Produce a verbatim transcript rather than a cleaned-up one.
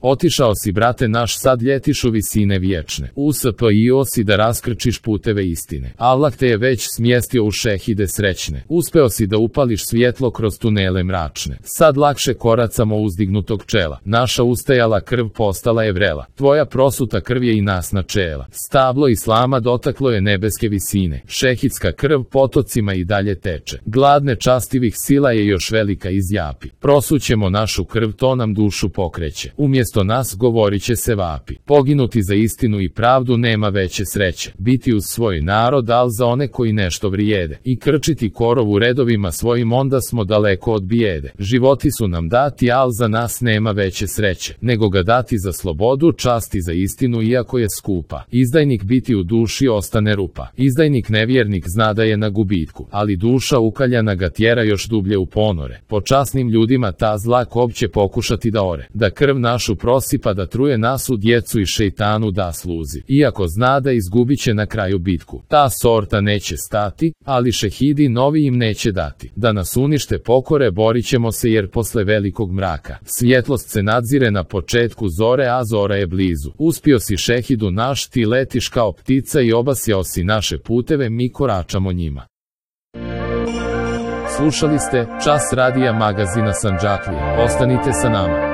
Otišao si, brate naš, sad ljetiš u visine vječne. Uspio si da raskrčiš puteve istine. Allah te je već smjestio u šehide srećne. Uspeo si da upališ svjetlo kroz tunele mračne. Sad lakše koracamo uzdignutog čela. Naša ustajala krv postala je vrela. Tvoja prosuta krv je i nas načela. Stablo islama dotaklo je nebeske visine. Šehidska krv potocima i dalje teče. Gladne častivih sila je još velika izjapi. Prosućemo našu krv, to nam dušu pokreće. Umjesto nas govorit će se vapi. Poginuti za istinu i pravdu nema veće sreće. Biti uz svoj narod, al za one koji nešto vrijede. I krčiti korov u redovima svojim, onda smo daleko od bijede. Životi su nam dati, al za nas nema veće sreće. Nego ga dati za slobodu, časti za istinu, iako je skupa. Izdajnik biti u duši ostane rupa. Izdajnik nevjernik zna da je na gubitku. Ali duša ukaljana ga tjera još dublje u ponore. Po časnim ljudima ta zla kop će pokušati da ore. Da krv našu prosipa, da truje nasu djecu i šejtanu da sluzi. Iako zna da izgubit će na kraju bitku. Ta sorta neće stati, ali šehidi novi im neće dati. Da nas unište pokore, borit ćemo se, jer posle velikog mraka svjetlost se nadzire na početku zore, a zora je blizu. Uspio si šehidu naš, ti letiš kao ptica i obasjao si naše puteve, mi koračamo njima. Slušali ste Čas radija magazina Sandžaklije. Ostanite sa nama.